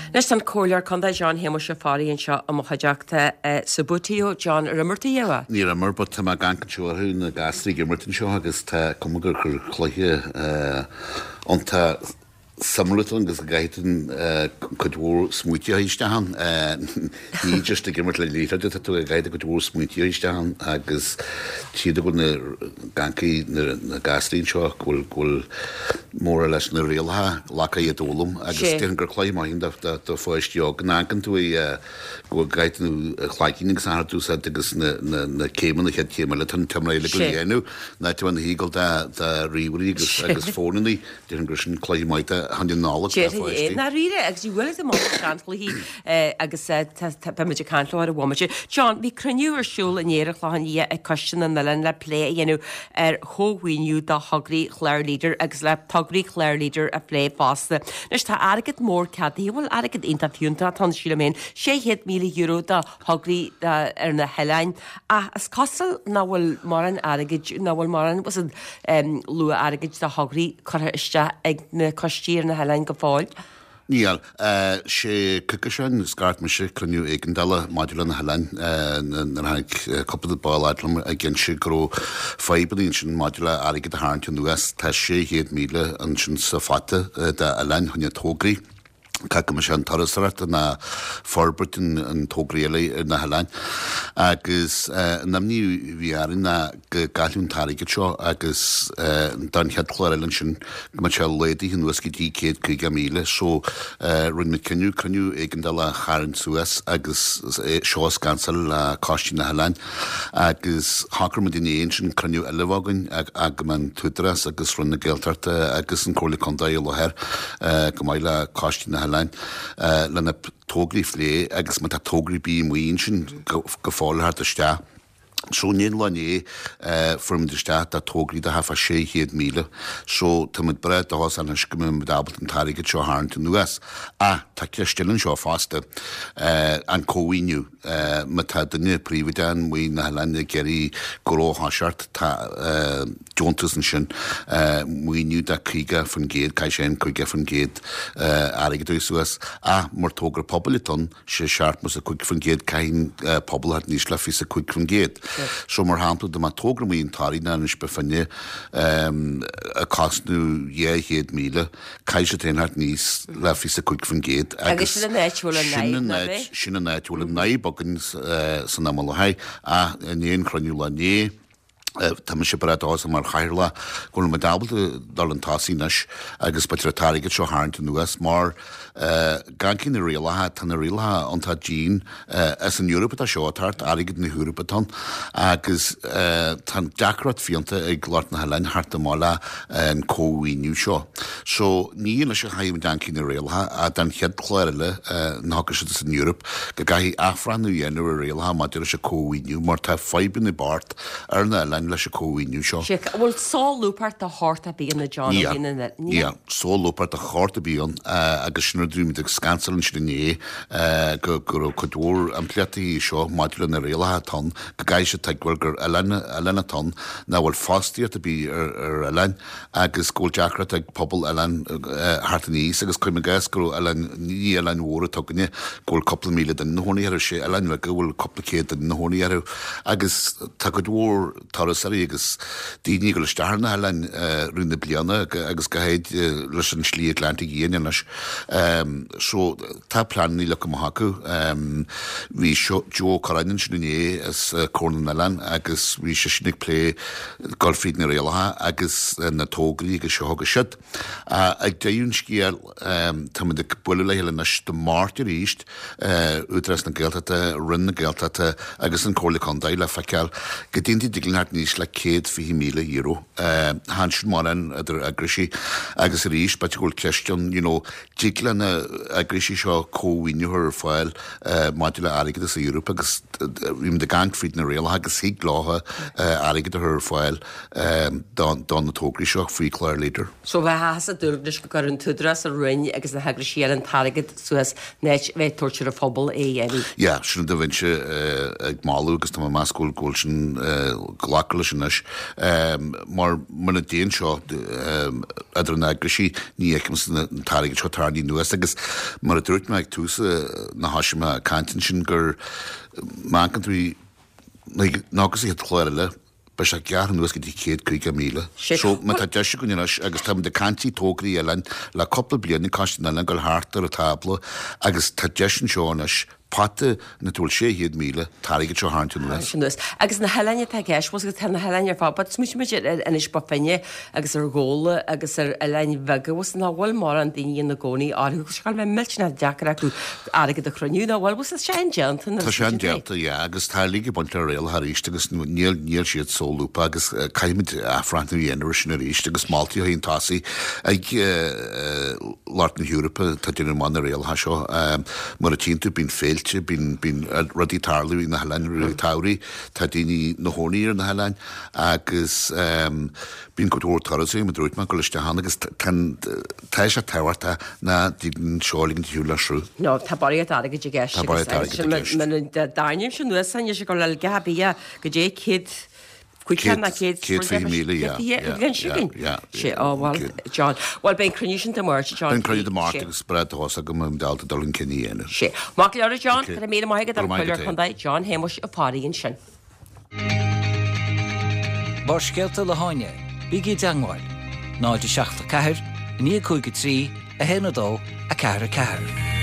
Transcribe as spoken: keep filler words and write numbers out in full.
Anois tá an Comhairleoir Contae John Shéamuis Ó Fearraigh anseo i mo chuideachta sa Butio John ar imir tú riamh? Níor imir, but tá mé ag amharc anseo orthu na gasraí ag imirt anseo agus tá cuma gur gur cluiche iontach suimiúil atá ann agus go gcaithfidh tú cuid mhór smaointe a chur isteach ann. Ní just ag imirt le liathróid atá tú ag caithfidh cuid mhór smaointe a chur isteach ann agus tchíd go bhfuil na gancaí na gasraí anseo go bhfuil go bhfuil móra leis na rialacha glacadh iad a fhoghlaim agus déarfainn gur cluiche maith do do pháistí óga an amharcann tú é go gcaithfidh tú cloigeann agus athrú úsáid agus na na na céimeanna chéad chéim eile tá an t-imreoir eile go dhéanamh ná tú an thígal de de ríomhairí agus agus fónanna déarfainn gur sin cluiche maith de tháinig an Nollaig do Déarfainn é pháistí. Ndáiríre agus bhí bhfuil i mbun seanchluichí agus beimid ag caint leo ar an bhomaite. John, bhí cruinniú ar siúl inné ar an Chlochán Liath ag Coiste na nOileán le plé a dhéanamh ar chómhaoiniú do thograí chlár Leader agus le tograí chlár Leader a phlé fosta. Anois tá airgead mór ceadaithe, bhfuil airgead iontach fiúntach tá sílim féin sé chéad míle euro do thograí ar na hoileáin ach is cosúil nach bhfuil mórán airgid nach bhfuil mórán was it, um, luath airgid do thograí curtha isteach ag na coistí ar na hoileáin go fóill. Níl sé chuige sin scairt mise cruinniú éigeandála maidir le na hoileáin nuair a tháinig cúpla ball liom ag inse go raibh fadhbanna ansin maidir le airgead a tharraingt anuas tá sé chéad míle ansin sa phota d'oileáin chun tograí. Ca go sé an turasóireacht ná forbairt an tograí eile ar na hoileáin. Agus an imní a bhí orainn ná go gcaillfeadh an t-airgead seo agus don chéad chlár eile ansin go mbeadh sé laghdaithe anuas go dtí céad caoga míle. So rinne muid cinneadh cruinniú éigeandála a tharraingt suas agus seo a scansáil le Coistí na hOileáin agus shocraigh muid inné ansin cruinniú eile a bheith againn ag go mbeadh an tÚdarás agus Roinn na Gaeltachta agus an Comhairle Contae i láthair go maith le Coistí na hOileáin lena tograí a phlé agus má tá tograí bí amuigh ansin go fóill thart isteach. So ní lá inné fuair muid isteach tá tograí de thart fá sé chéad míle. So tá muid breá dóchasach anois go mbeidh muid ábalta an t-airgead seo a tharraingt anuas. Ach tá ceist eile anseo fosta, an cómhaoiniú. Má tá duine príobháideach amuigh na hoileáin ag iarraidh gnó a thoiseacht, tá deontas ansin, maoiniú de caoga faoin gcéad, caithfidh sé an caoga faoin gcéad airgead a suas. Ach mar togra pobail atá ann, sé seachtó is a cúig faoin gcéad caithfidh an pobal a theacht aníos le fiche a cúig faoin gcéad. So mar shampla dá mbeadh togra amuigh in Toraigh ná Inis Bó Finne ag cosnú dhá chéad míle, caithfidh siad féin theacht aníos le fiche a cúig faoin gcéad agus sin an áit a bhfuil an fhadhb, ná b'é? Sin an áit a bhfuil an fhadhb againn san am i láthair ach i ndiaidh an chruinniú lá inné, Tá mise breá dóchasach mar chathaoirleach go bhfuil muid ábalta dul chun tosaigh anois agus b'fhéidir an t-airgead seo a tharraingt anuas mar gan cinn na rialacha, tá na rialacha iontach dian. As an Eoraip atá seo ag teacht, airgead na hEorpa atá ann agus tá an deacracht fiúnta ag lucht na hoileáin thart amach le an cómhaoiniú seo. So ní anois a chaithfidh muid amharc ar na rialacha ach don chéad chlár eile ná thiocfaidh siad as an Eoraip go gcaithfidh athbhreithniú a dhéanamh ar rialacha maidir leis an cómhaoiniú mar tá fadhbanna beart ar na hoileáin leis an cómhaoiniú seo. Sea, an bhfuil solúbthacht de shórt ar bith ann a John ó Níl, níl solúbthacht de shórt ar bith ann agus sin rud a bhí muid ag scansáil ansin inné go go raibh cuid mhór impleachtaí seo maidir le na rialacha atá ann, go gcaithfidh siad tuigbheáil gur oileán oileán atá ann, nach bhfuil fostaíocht ar bith ar ar oileáin agus go bhfuil deacracht ag pobal oileán theacht aníos agus cuirim i gcás go raibh oileán, ní oileáin mhóra atá againne, go bhfuil cúpla míle duine ina chónaí orthu, sé oileáin bheaga a bhfuil cúpla céad duine ina chónaí orthu agus tá cuid mhór turasóirí agus daoine ag dul isteach ar na hoileáin rith na bliana agus go háid leis an Slí Atlantaigh Fhiáin anois. So tá pleananna leagtha amach acu. Bhí Joe Ó Curráin ansin inné as Comhar na nOileán agus bhí seisean ag plé dul fríd na rialacha agus na tograí agus seo agus siúd. Ag deireadh an scéil, tá muid ag bualadh le chéile anois do Máirt arís, Údarás na Gaeltachta, Roinn na Gaeltachta agus an Comhairle Contae le feiceáil goidé an dóigh a dtig linn theacht aníos le céad fiche míle euro. Chan sin mórán idir eagraisí agus arís b'fhéidir go bhfuil ceist ann, you know, dtig le na eagraisí seo cómhaoiniú a chur ar fáil maidir le airgead as an Eoraip agus bhí muid ag amharc fríd na rialacha agus thig leo airgead a chur ar fáil do na tograí seo faoi chlár Leader. So bheifeá ag dúil anois go gcuirfidh an tÚdarás, an Roinn agus na heagraisí eile an t-airgead suas in áit a bheith ag tabhairt ar an phobal é a dhéanamh. Yeah, sin rud a bheinnse ag moladh agus tá mé ag meas go bhfuil go bhfuil sin glactha glacadh leis anois mar muna dtéann seo idir na heagraisí ní fheicimse an t-airgead seo tarraingthe anuas agus mar a dúirt mé ag tús na thosaigh mé ag caint ansin gur má amharcann tú agus an chéad chlár eile beidh sé gearrtha anuas go dtí céad caoga míle. So má tá deis againn anois agus táimid ag caint faoi tograí oileáin le cúpla bliain ag Coiste na nOileán ag dul thart ar an tábla agus tá deis anseo anois pota ina bhfuil sé chéad míle t-airgead seo a tharraingt anuas. Anuas. Agus na hoileáin atá i gceist, bhfuil tá na hoileáin ar fad, but smaoitigh muid ar Inis Bó Finne agus ar Ghabhla agus ar oileáin bheaga, bhfuil nach bhfuil mórán daoine ina gcónaí orthu, agus tá sé millteanach deacair acu airgead a chruinniú, nach bhfuil, bhfuil sé indéanta Tá sé indéanta, yeah, agus tá uilig ag baint le rialacha arís agus níl níl siad solúbtha agus caithfimid athbhreithniú a dhéanamh air sin arís agus moltaí chun tosaigh ag lucht na hEorpa atá ag déanamh amach na rialacha seo. Mar a tchíonn tú bíonn féilte, bíonn bíonn rudaí ag tarlú ar na hoileáin i rith an tsamhraidh, tá daoine ina gcónaí ar na hoileáin agus bíonn cuid mhór turasóirí, mar a dúirt mé, ag dul isteach ann agus tá tá sé tábhachtach nach dtig linn seo a ligint ar shiúl le sruth. No, tá barraíocht airgid i gceist Tá barraíocht airgid i gceist. D'ainm sin nua san, sé go bhfuil gach bia go dté céad Cúig chéad ná céad Céad fiche míle, yeah, yeah, yeah, yeah. Sé, ó, bhuel, John. Bhuel, beidh an cruinniú sin Dé Máirt, John. Beidh an cruinniú Dé Máirt agus breá tá fhios agam an dálta dul chun cinn a dhéanamh. Sé. Maith go leor, a John. Go raibh míle maith agat, an Comhairleoir Contae, John Shéamuis Ó Fearraigh ansin. Barrscéalta le hÁine, bígí i dteangmháil, náid a seacht a ceathair, a naoi cúig a trí, a haon a dó, a ceathair a ceathair.